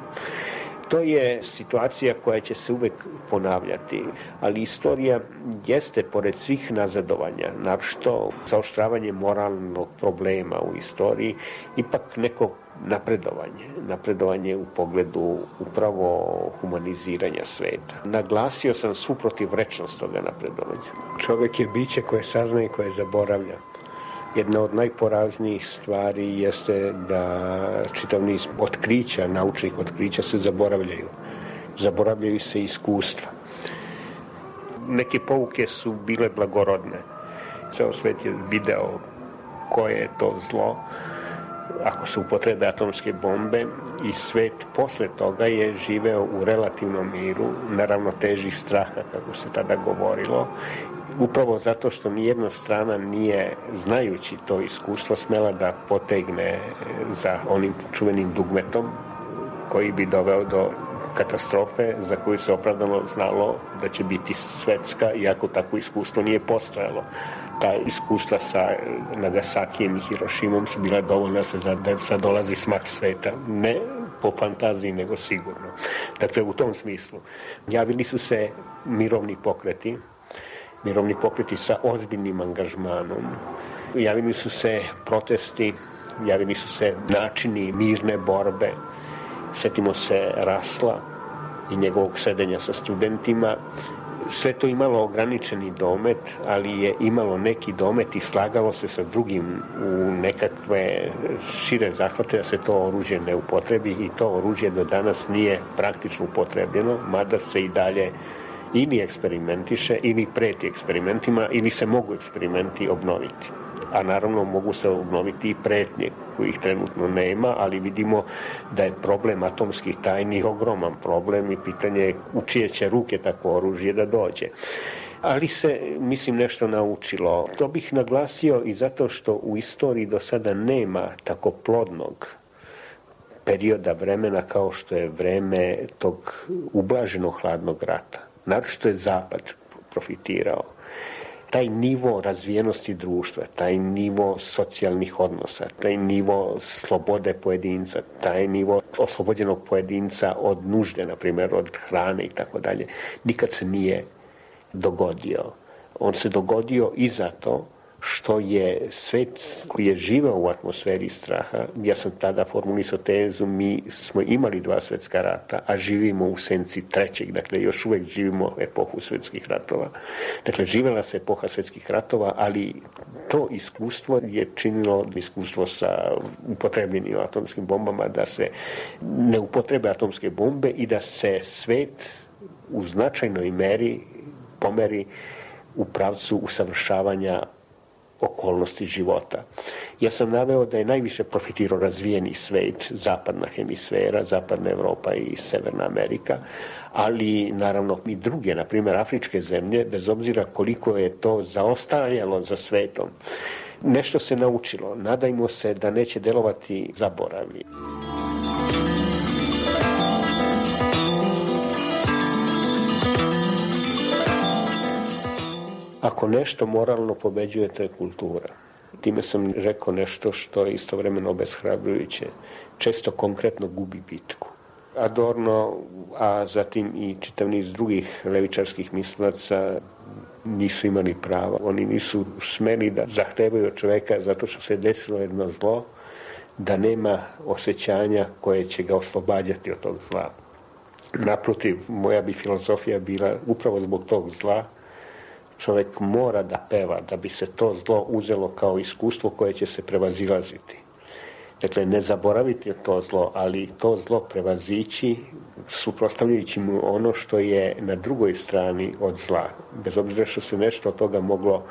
[SPEAKER 7] To je situacija koja će se uvek ponavljati, ali istorija jeste, pored svih nazadovanja, naročito zaoštravanje moralnog problema u istoriji, ipak neko napredovanje u pogledu upravo humaniziranja sveta. Naglasio sam svu protivrečnost toga napredovanja. Čovek je biće koje saznaje i koje zaboravlja. Jedna od najporaznijih stvari jeste da čitav niz otkrića, naučnih otkrića se zaboravljaju. Zaboravljaju se iskustva. Neke pouke su bile blagorodne. Ceo svet je video koje je to zlo ako se upotrebe atomske bombe i svet posle toga je živeo u relativnom miru, na ravnoteži straha, kako se tada govorilo, upravo zato što nijedna strana nije, znajući to iskustvo, smela da potegne za onim čuvenim dugmetom koji bi doveo do katastrofe za koju se opravdano znalo da će biti svetska, iako takvo iskustvo nije postojalo. Ta iskustva sa Nagasakijem i Hirošimom su bila dovoljna da sad dolazi smak sveta. Ne po fantaziji, nego sigurno. Dakle, u tom smislu javili su se mirovni pokreti sa ozbiljnim angažmanom. Javili su se protesti, javili su se načini mirne borbe. Sjetimo se Rasla i njegovog sedenja sa studentima. Sve to imalo ograničeni domet, ali je imalo neki domet i slagalo se sa drugim u nekakve šire zahvate da se to oružje ne upotrebi i to oružje do danas nije praktično upotrebljeno, mada se i dalje ili eksperimentiše ili preti eksperimentima ili se mogu eksperimenti obnoviti. A naravno mogu se obnoviti i pretnje kojih trenutno nema, ali vidimo da je problem atomskih tajni ogroman problem i pitanje je u čije će ruke takvo oružje da dođe. Ali se, mislim, nešto naučilo. To bih naglasio i zato što u istoriji do sada nema tako plodnog perioda vremena kao što je vreme tog ublaženog hladnog rata. Naročito je Zapad profitirao. Taj nivo razvijenosti društva, taj nivo socijalnih odnosa, taj nivo slobode pojedinca, taj nivo oslobođenog pojedinca od nužde, na primjer od hrane i tako dalje, nikad se nije dogodio. On se dogodio i zato što je svet koji je živeo u atmosferi straha, ja sam tada formulisao tezu, mi smo imali 2 svjetska rata, a živimo u senci 3. Dakle, još uvijek živimo epohu svjetskih ratova. Dakle, živjela se epoha svjetskih ratova, ali to iskustvo je činilo iskustvo sa upotrebljenim atomskim bombama, da se ne upotrebe atomske bombe i da se svet u značajnoj meri pomeri u pravcu usavršavanja okolnosti života. Ja sam naveo da je najviše profitirao razvijeni svet, zapadna hemisfera, zapadna Evropa i Severna Amerika, ali naravno i druge, na primjer afričke zemlje, bez obzira koliko je to zaostajalo za svetom. Nešto se naučilo, nadajmo se da neće delovati zaboravi. Ako nešto moralno pobeđuje, to je kultura. Time sam rekao nešto što je istovremeno obeshrabrujuće. Često konkretno gubi bitku. Adorno, a zatim i čitav niz drugih levičarskih mislilaca nisu imali prava. Oni nisu smeli da zahtevaju od čoveka zato što se desilo jedno zlo, da nema osjećanja koje će ga oslobađati od tog zla. Naprotiv, moja bi filozofija bila upravo zbog tog zla. Čovjek mora da peva da bi se to zlo uzelo kao iskustvo koje će se prevazilaziti. Dakle, ne zaboraviti to zlo, ali to zlo prevazići suprotstavljajući mu ono što je na drugoj strani od zla, bez obzira što se nešto od toga moglo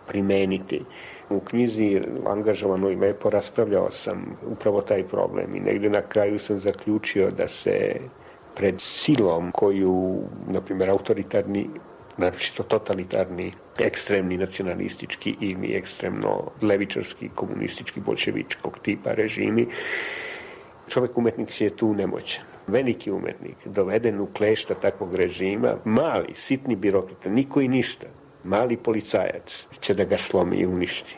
[SPEAKER 7] primeniti. U knjizi Angažovano i lepo raspravljao sam upravo taj problem i negdje na kraju sam zaključio da se pred silom koju, na primjer, autoritarni, naročito totalitarni, ekstremni nacionalistički ili ekstremno levičarski, komunistički, bolševičkog tipa režimi, čovjek umetnik je tu nemoćan. Veliki umetnik, doveden u klešta takvog režima, mali, sitni birokrata, niko i ništa, mali policajac će da ga slomi i uništi.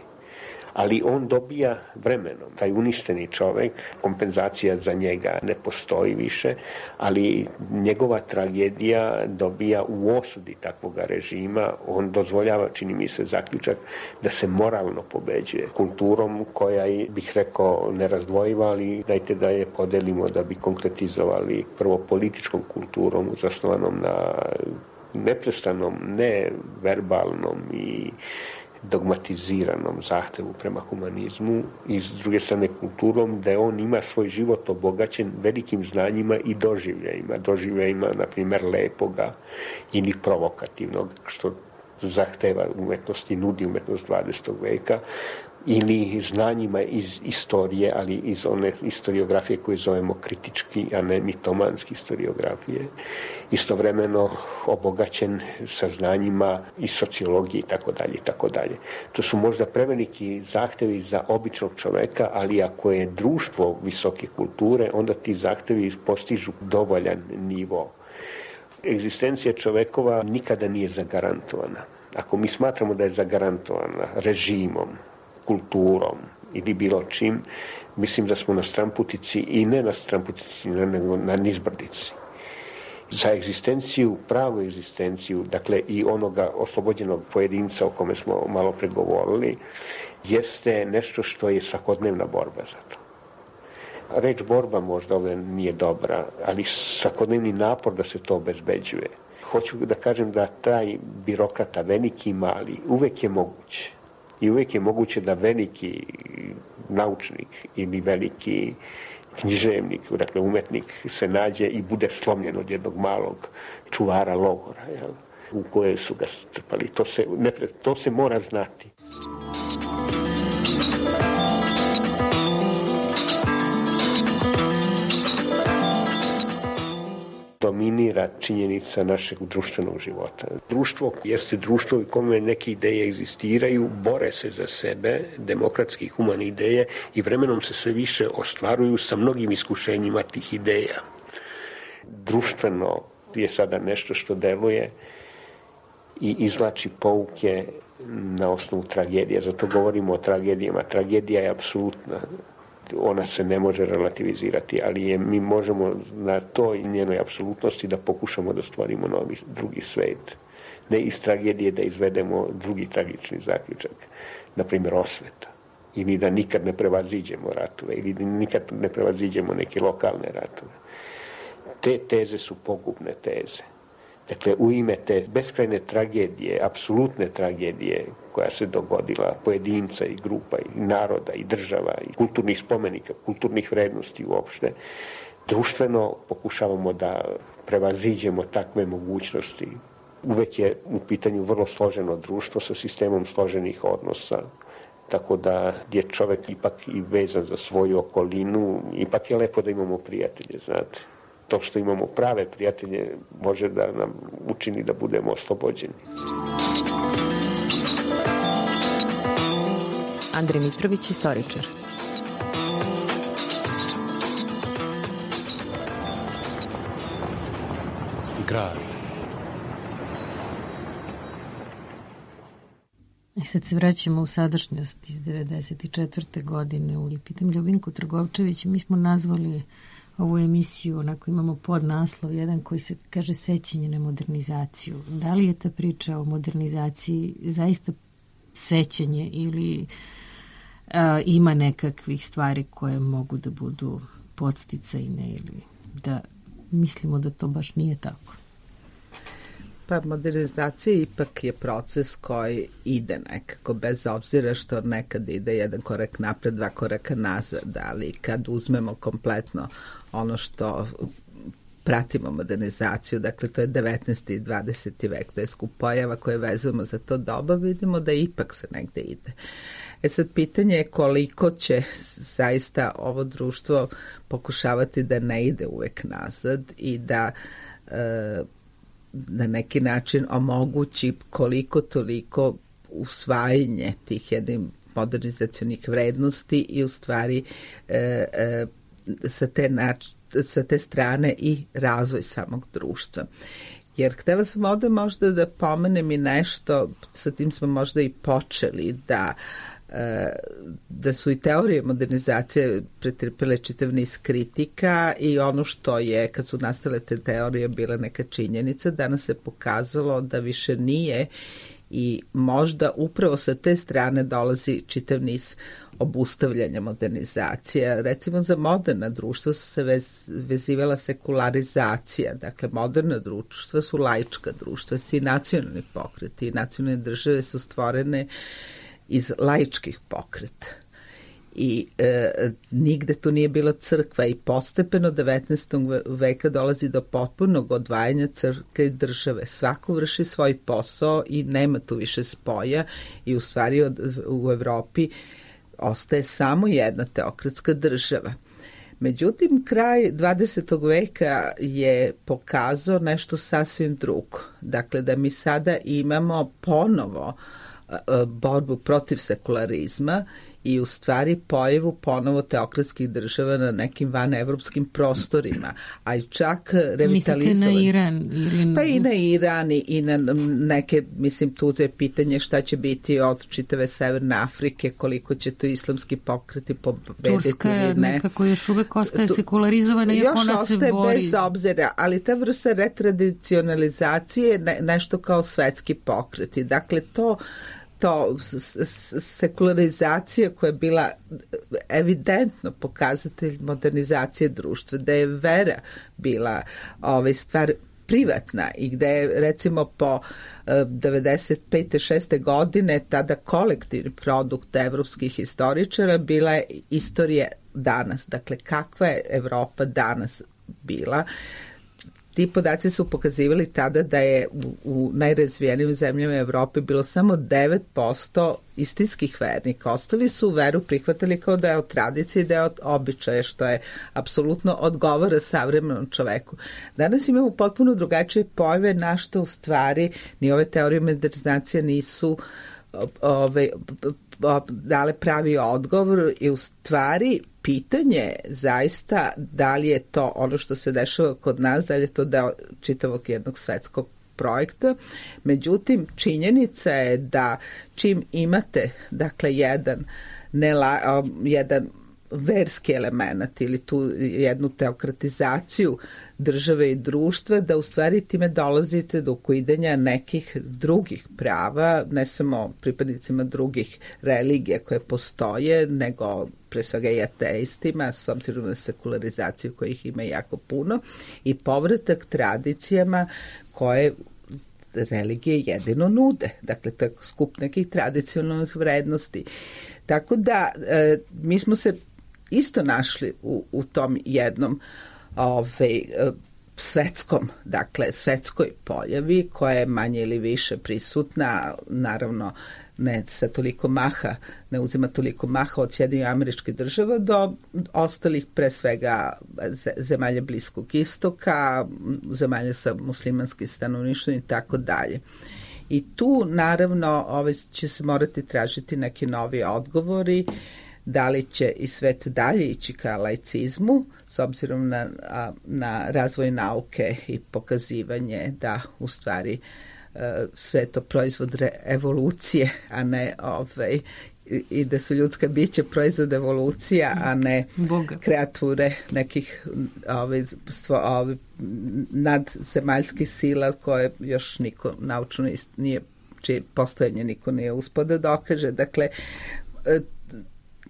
[SPEAKER 7] Ali on dobija vremenom, taj uništeni čovjek, kompenzacija za njega ne postoji više, ali njegova tragedija dobija u osudi takvog režima, on dozvoljava, čini mi se, zaključak da se moralno pobeđuje kulturom koja je, bih rekao, nerazdvojiva, ali dajte da je podelimo da bi konkretizovali prvo političkom kulturom zasnovanom na neprestanom, neverbalnom i dogmatiziranom zahtevu prema humanizmu i s druge strane kulturom, da on ima svoj život obogaćen velikim znanjima i doživljajima, na primjer, lepoga ili provokativnog, što zahteva umetnost i nudi umetnost 20. veka, ili znanjima iz istorije, ali iz one historiografije koje zovemo kritički, a ne mitomanski historiografije. Istovremeno obogaćen sa znanjima iz sociologije itd. To su možda preveliki zahtevi za običnog čoveka, ali ako je društvo visoke kulture, onda ti zahtevi postižu dovoljan nivo. Egzistencija čovekova nikada nije zagarantovana. Ako mi smatramo da je zagarantovana režimom, kulturom ili bilo čim, mislim da smo na stramputici i ne na stramputici, nego na nizbrdici. Za egzistenciju, pravu egzistenciju, dakle i onoga oslobođenog pojedinca o kome smo malo pregovorili, jeste nešto što je svakodnevna borba za to. Reč borba možda ovdje nije dobra, ali svakodnevni napor da se to obezbeđuje. Hoću da kažem da taj birokrata, veliki i mali, uvek je moguće. I uvijek je moguće da veliki naučnik ili veliki književnik, dakle umetnik, se nađe i bude slomljen od jednog malog čuvara logora, u koje su ga strpali. To se mora znati. Dominira činjenica našeg društvenog života. Društvo jeste društvo u kome neke ideje egzistiraju, bore se za sebe, demokratske i humane ideje, i vremenom se sve više ostvaruju sa mnogim iskušenjima tih ideja. Društveno je sada nešto što deluje i izvlači pouke na osnovu tragedije. Zato govorimo o tragedijama. Tragedija je apsolutna. Ona se ne može relativizirati, ali mi možemo na toj njenoj apsolutnosti da pokušamo da stvorimo drugi svet. Ne iz tragedije da izvedemo drugi tragični zaključak, na primjer osveta, ili da nikad ne prevaziđemo ratove, ili da nikad ne prevaziđemo neke lokalne ratove. Te teze su pogubne teze. Dakle, u ime te beskrajne tragedije, apsolutne tragedije koja se dogodila pojedinca i grupa i naroda i država i kulturnih spomenika, kulturnih vrednosti uopšte, društveno pokušavamo da prevaziđemo takve mogućnosti. Uvek je u pitanju vrlo složeno društvo sa sistemom složenih odnosa, tako da je čovek ipak i vezan za svoju okolinu, ipak je lepo da imamo prijatelje, znate. To što imamo prave prijatelje može da nam učini da budemo oslobođeni.
[SPEAKER 4] Andrej Mitrović, istoričar.
[SPEAKER 1] Grad.
[SPEAKER 4] I sad se vraćamo u sadašnjost iz 1994. godine. Pitam Ljubinku Trgovčević, mi smo nazvali ovu emisiju, onako imamo podnaslov jedan koji se kaže sećanje na modernizaciju. Da li je ta priča o modernizaciji zaista sećanje ili ima nekakvih stvari koje mogu da budu podsticajne ili da mislimo da to baš nije tako?
[SPEAKER 6] Pa modernizacija ipak je proces koji ide nekako, bez obzira što nekad ide jedan korak napred, dva koraka nazad, ali kad uzmemo kompletno ono što pratimo modernizaciju, dakle to je 19. i 20. vek, to je skup pojava koje vezujemo za to doba, vidimo da ipak se negde ide. Sad pitanje je koliko će zaista ovo društvo pokušavati da ne ide uvek nazad i da na neki način omogući koliko toliko usvajanje tih jednih modernizacionih vrednosti i u stvari sa te strane i razvoj samog društva. Jer htjela sam ovdje možda da pomenem i nešto, sa tim smo možda i počeli, da su i teorije modernizacije pretrpile čitav niz kritika i ono što je, kad su nastale te teorije, bila neka činjenica, danas se pokazalo da više nije i možda upravo sa te strane dolazi čitav niz obustavljanja modernizacije. Recimo za moderna društva su se vezivala sekularizacija. Dakle, moderna društva su laička društva, svi nacionalni pokreti i nacionalne države su stvorene iz laičkih pokreta. I nigde tu nije bila crkva i postepeno 19. veka dolazi do potpunog odvajanja crkve i države. Svako vrši svoj posao i nema tu više spoja i u stvari u Evropi ostaje samo jedna teokratska država. Međutim, kraj 20. veka je pokazao nešto sasvim drugo. Dakle, da mi sada imamo ponovo borbu protiv sekularizma i u stvari pojavu ponovo teokratskih država na nekim vanevropskim prostorima, a i čak revitalizovanje.
[SPEAKER 4] Mislite na Iran?
[SPEAKER 6] Pa i na Iran i na neke, mislim, tu je pitanje šta će biti od čitave Severne Afrike, koliko će to islamski pokreti pobediti.
[SPEAKER 4] Turska je nekako još uvek ostaje sekularizovana, iako ona se bori. Još ostaje bez obzira,
[SPEAKER 6] ali ta vrsta retradicionalizacije je nešto kao svetski pokreti. Dakle, to sekularizacija koja je bila evidentno pokazatelj modernizacije društva, da je vera bila stvar privatna i gde je recimo po 95. 6. godine tada kolektivni produkt evropskih historičara bila je istorija danas. Dakle, kakva je Evropa danas bila? Ti podaci su pokazivali tada da je u najrazvijenijim zemljama Evrope bilo samo 9% istinskih vernika. Ostali su veru prihvatili kao da je od tradicije i da je od običaja, što je apsolutno odgovara savremenom čoveku. Danas imamo potpuno drugačije pojave na što u stvari ni ove teorije modernizacije nisu dale pravi odgovor i u stvari pitanje zaista da li je to ono što se dešava kod nas, da li je to deo čitavog jednog svetskog projekta. Međutim, činjenica je da čim imate, dakle, jedan verski element ili tu jednu teokratizaciju države i društva, da u stvari time dolazite do ukidanja nekih drugih prava, ne samo pripadnicima drugih religija koje postoje, nego pre svega i ateistima, s obzirom na sekularizaciju kojih ima jako puno, i povratak tradicijama koje religije jedino nude. Dakle, to je skup nekih tradicionalnih vrednosti. Tako da mi smo se isto našli u tom jednom svetskoj pojavi koja je manje ili više prisutna, naravno ne sa toliko maha, ne uzima toliko maha od Sjedinjenih Američkih Država do ostalih, pre svega zemalja Bliskog istoka, zemalja sa muslimanskim stanovništvom i tako dalje. I tu naravno će se morati tražiti neki novi odgovori, da li će i svet dalje ići ka laicizmu, s obzirom na razvoj nauke i pokazivanje da u stvari sve to proizvod evolucije, a ne i da su ljudska bića proizvod evolucija, a ne kreature nekih nadzemaljskih sila koje još niko naučno nije, čije postojanje niko nije uspio da dokaže. Dakle,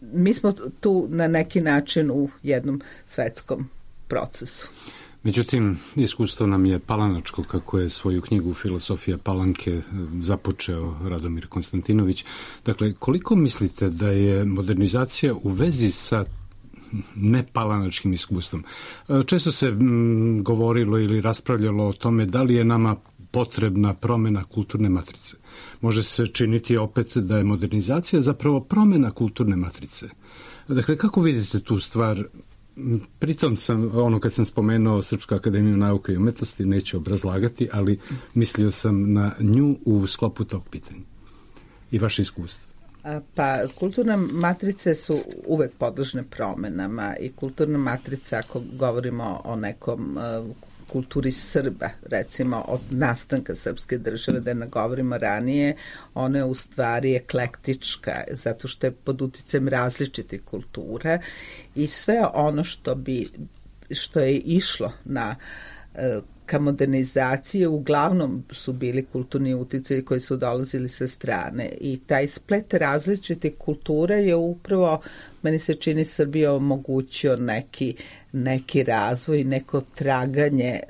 [SPEAKER 6] mi smo tu na neki način u jednom svetskom procesu.
[SPEAKER 5] Međutim, iskustvo nam je palanačko, kako je svoju knjigu Filosofija Palanke započeo Radomir Konstantinović. Dakle, koliko mislite da je modernizacija u vezi sa nepalanačkim iskustvom? Često se govorilo ili raspravljalo o tome da li je nama potrebna promjena kulturne matrice. Može se činiti opet da je modernizacija zapravo promjena kulturne matrice. Dakle, kako vidite tu stvar? Pritom kad sam spomenuo Srpsku akademiju nauke i umetnosti, neću obrazlagati, ali mislio sam na nju u sklopu tog pitanja. I vaše iskustvo.
[SPEAKER 6] Pa, kulturne matrice su uvek podložne promenama i kulturna matrica, ako govorimo o nekom kulturi Srba, recimo od nastanka srpske države, da ne govorimo ranije, ona je u stvari eklektička, zato što je pod uticajem različitih kultura i sve ono što je išlo na ka modernizaciji uglavnom su bili kulturni uticaji koji su dolazili sa strane i taj splet različite kulture je upravo, meni se čini, Srbija omogućio neki razvoj, neko traganje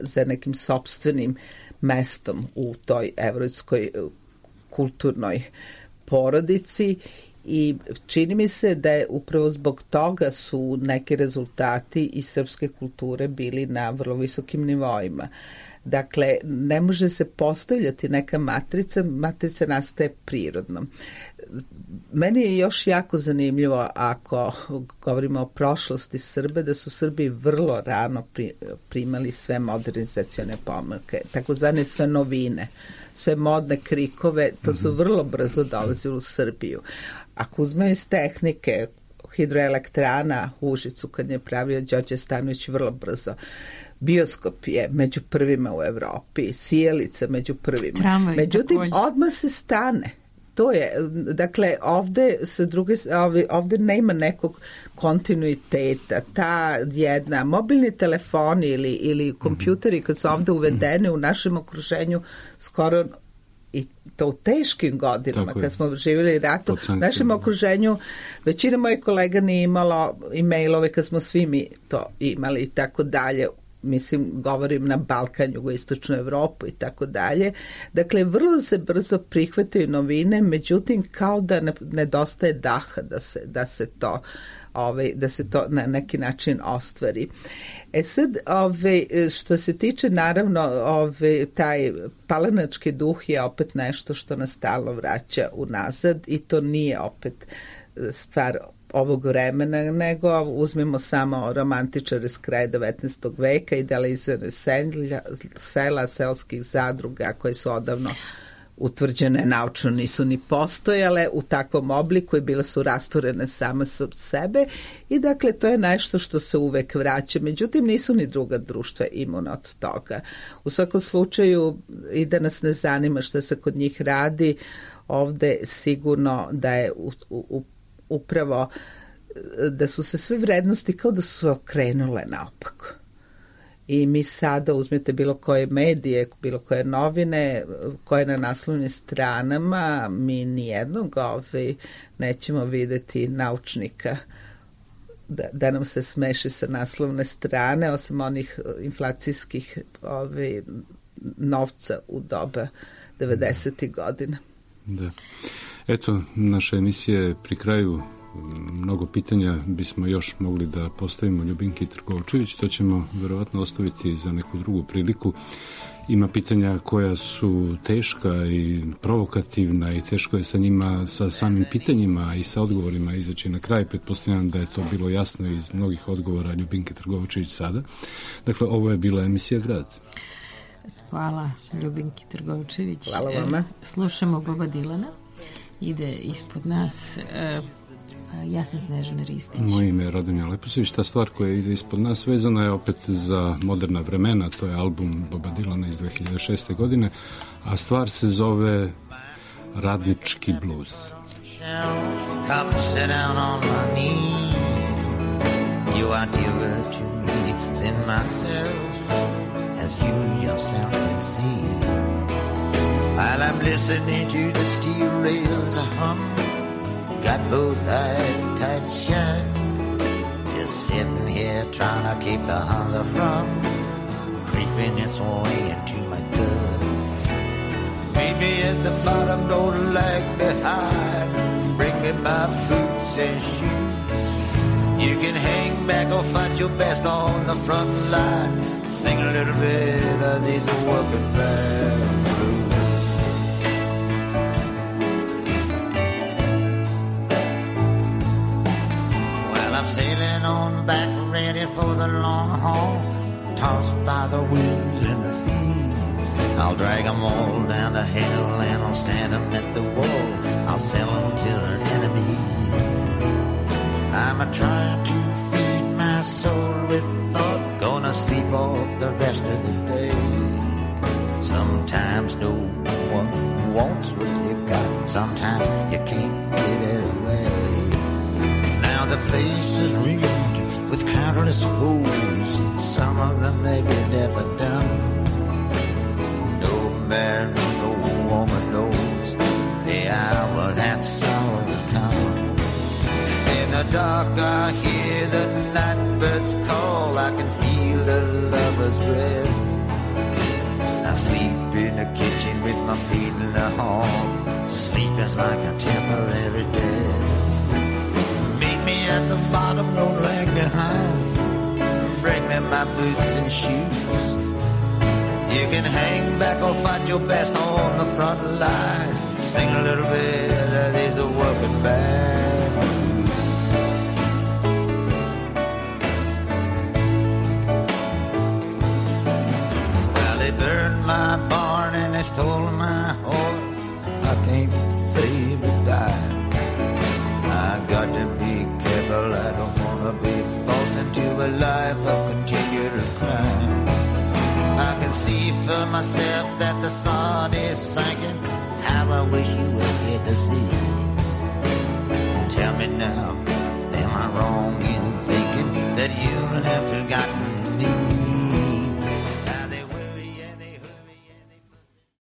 [SPEAKER 6] za nekim sopstvenim mestom u toj evropskoj kulturnoj porodici i čini mi se da je upravo zbog toga su neki rezultati iz srpske kulture bili na vrlo visokim nivoima. Dakle, ne može se postavljati neka matrica nastaje prirodno. Meni je još jako zanimljivo, ako govorimo o prošlosti Srbe, da su Srbi vrlo rano primali sve modernizacione pomake, takozvane sve novine, sve modne krikove, to su vrlo brzo dolazili u Srbiju. Ako uzmemo iz tehnike, hidroelektrana u Užicu, kad je pravio Đorđe Stanović, vrlo brzo. Bioskop je među prvima u Evropi, sijalica među prvima.
[SPEAKER 4] Tramvaj,
[SPEAKER 6] međutim,
[SPEAKER 4] takođe.
[SPEAKER 6] odmah se stane. To je, dakle, ovde nema nekog kontinuiteta. Ta jedna, mobilni telefoni ili kompjuteri kad su ovde uvedeni u našem okruženju skoro i to u teškim godinama, kad smo živjeli ratu, u našem okruženju većina mojih kolega nije imalo e-mailove kad smo svi mi to imali i tako dalje. Mislim, govorim na Balkan, jugoistočnu Evropu i tako dalje. Dakle, vrlo se brzo prihvataju novine, međutim, kao da nedostaje daha da se to na neki način ostvari. Sad, što se tiče, naravno, taj palanački duh je opet nešto što nas stalno vraća unazad i to nije opet stvar ovog vremena, nego uzmimo samo romantičare s kraja 19. veka, idealizirane sela, seoskih zadruga koje su odavno utvrđene, naučno nisu ni postojale u takvom obliku i bile su rasturene same od sebe i dakle to je nešto što se uvek vraća. Međutim, nisu ni druga društva imuna od toga. U svakom slučaju i da nas ne zanima što se kod njih radi, ovde sigurno da je upravo da su se sve vrednosti kao da su se okrenule naopako. I mi sada uzmete bilo koje medije, bilo koje novine, koje na naslovnim stranama, mi nijednog nećemo videti naučnika da nam se smeši sa naslovne strane, osim onih inflacijskih novca u doba 90. godina.
[SPEAKER 5] Da. Eto, naša emisija je pri kraju. Mnogo pitanja bismo još mogli da postavimo Ljubinki Trgovčević, to ćemo verovatno ostaviti za neku drugu priliku. Ima pitanja koja su teška i provokativna i teško je sa njima, sa samim pitanjima i sa odgovorima izaći na kraj. Pretpostavljam da je to bilo jasno iz mnogih odgovora Ljubinke Trgovčević sada. Dakle, ovo je bila emisija Grad.
[SPEAKER 4] Hvala Ljubinki Trgovčević.
[SPEAKER 6] Hvala vama.
[SPEAKER 4] Slušamo Boba Dilana. Ide ispod nas... Ja sam Snežana Ristić.
[SPEAKER 5] Moje ime je Radomir Leposević. Ta stvar koja ide ispod nas vezana je opet za moderna vremena. To je album Boba Dilana iz 2006. godine, a stvar se zove Radnički bluz. Come sit down on my knees. You are dearer to me than myself, as you yourself can see. While I'm listening to the steel rails hum, got both eyes tight shut, just sitting here trying to keep the hunger from creeping its way into my gut. Meet me at the bottom, don't lag behind, bring me my boots and shoes. You can hang back or fight your best on the front line, sing a little bit of these working man blues. Sailing on back, ready for the long haul, tossed by the winds and the seas. I'll drag them all down the hill and I'll stand them at the wall. I'll sell them to their enemies. I'm a-trying to feed my soul with thought, gonna sleep off the rest of the day. Sometimes no one wants what you've got, sometimes you can't give it away. The place is ringed with countless foes, some of them they've never done.
[SPEAKER 8] dark I hear the night birds call. I can feel a lover's breath. I sleep in the kitchen with my feet in the hall. Sleep is like a temporary death. Meet me at the bottom, don't lag behind. Bring me my boots and shoes. You can hang back or fight your best on the front line. Sing a little bit of these working band blues. Well, they burned my barn and they stole my horse. I can't save a dime. I got to be careful, I don't want to be forced into a life of continual crime. I can see for myself that the sun is sinking. How I wish you were here to see. Tell me now, am I wrong in thinking that you have forgotten